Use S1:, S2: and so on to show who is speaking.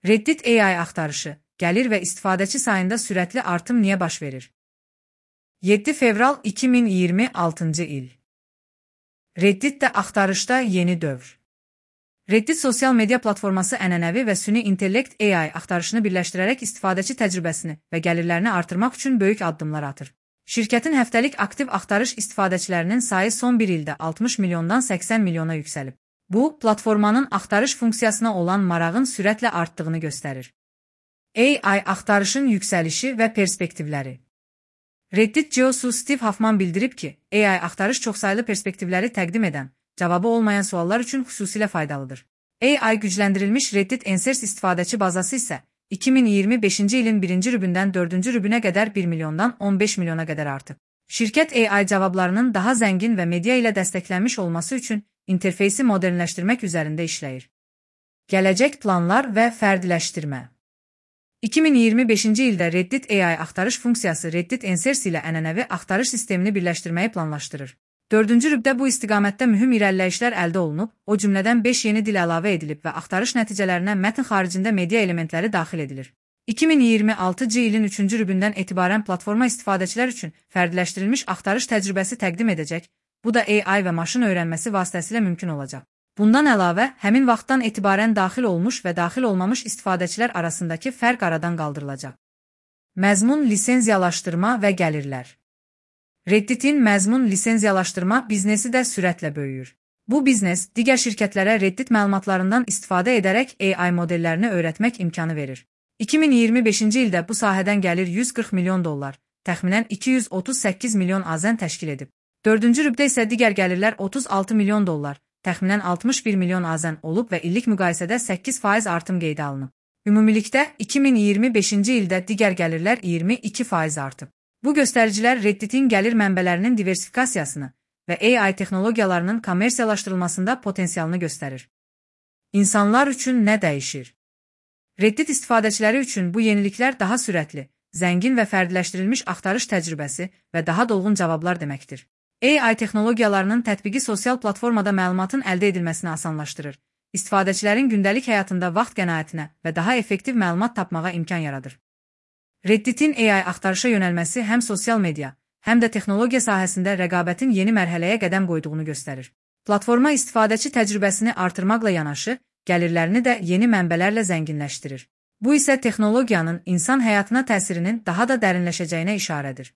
S1: Reddit AI axtarışı, gəlir və istifadəçi sayında sürətli artım niyə baş verir? 7 fevral 2026-cı il. Redditdə axtarışda yeni dövr. Reddit sosial media platforması ənənəvi və süni intellekt AI axtarışını birləşdirərək istifadəçi təcrübəsini və gəlirlərini artırmaq üçün böyük addımlar atır. Şirkətin həftəlik aktiv axtarış istifadəçilərinin sayı son bir ildə 60 milyondan 80 milyona yüksəlib. Bu, platformanın axtarış funksiyasına olan marağın sürətlə artdığını göstərir. AI axtarışın yüksəlişi və perspektivləri. Reddit CEO-su Steve Huffman bildirib ki, AI axtarış çoxsaylı perspektivləri təqdim edən, cavabı olmayan suallar üçün xüsusilə faydalıdır. AI gücləndirilmiş Reddit Answers istifadəçi bazası isə 2025-ci ilin 1-ci rübündən 4-cü rübünə qədər 1 milyondan 15 milyona qədər artıb. Şirkət AI cavablarının daha zəngin və media ilə dəstəklənmiş olması üçün interfeysi modernləşdirmək üzərində işləyir. Gələcək planlar və fərdiləşdirmə. 2025-ci ildə Reddit AI axtarış funksiyası Reddit Answers ilə ənənəvi axtarış sistemini birləşdirməyi planlaşdırır. 4-cü rübdə bu istiqamətdə mühüm irəliləyişlər əldə olunub, o cümlədən 5 yeni dil əlavə edilib və axtarış nəticələrinə mətn xaricində media elementləri daxil edilir. 2026-cı ilin 3-cü rübündən etibarən platforma istifadəçilər üçün fərdiləşdirilmiş axtarış təcrübəsi təqdim edəcək, bu da AI və maşın öyrənməsi vasitəsilə mümkün olacaq. Bundan əlavə, həmin vaxtdan etibarən daxil olmuş və daxil olmamış istifadəçilər arasındakı fərq aradan qaldırılacaq. Məzmun lisenziyalaşdırma və gəlirlər. Redditin məzmun lisenziyalaşdırma biznesi də sürətlə böyüyür. Bu biznes, digər şirkətlərə Reddit məlumatlarından istifadə edərək AI modellərini öyrətmək imkanı verir. 2025-ci ildə bu sahədən gəlir 140 milyon dollar, təxminən 238 milyon AZN təşkil edib. 4-cü rübdə isə digər gəlirlər 36 milyon dollar, təxminən 61 milyon AZN olub və illik müqayisədə 8% artım qeydə alınıb. Ümumilikdə 2025-ci ildə digər gəlirlər 22% artıb. Bu göstəricilər Redditin gəlir mənbələrinin diversifikasiyasını və AI texnologiyalarının kommersiyalaşdırılmasında potensialını göstərir. İnsanlar üçün nə dəyişir? Reddit istifadəçiləri üçün bu yeniliklər daha sürətli, zəngin və fərdiləşdirilmiş axtarış təcrübəsi və daha dolğun cavablar deməkdir. AI texnologiyalarının tətbiqi sosial platformada məlumatın əldə edilməsini asanlaşdırır, istifadəçilərin gündəlik həyatında vaxt qənaətinə və daha effektiv məlumat tapmağa imkan yaradır. Redditin AI axtarışa yönəlməsi həm sosial media, həm də texnologiya sahəsində rəqabətin yeni mərhələyə qədəm qoyduğunu göstərir. Platforma istifadəçi təcrübəsini artırmaqla yanaşı, gəlirlərini də yeni mənbələrlə zənginləşdirir. Bu isə texnologiyanın insan həyatına təsirinin daha da dərinləşəcəyinə işarədir.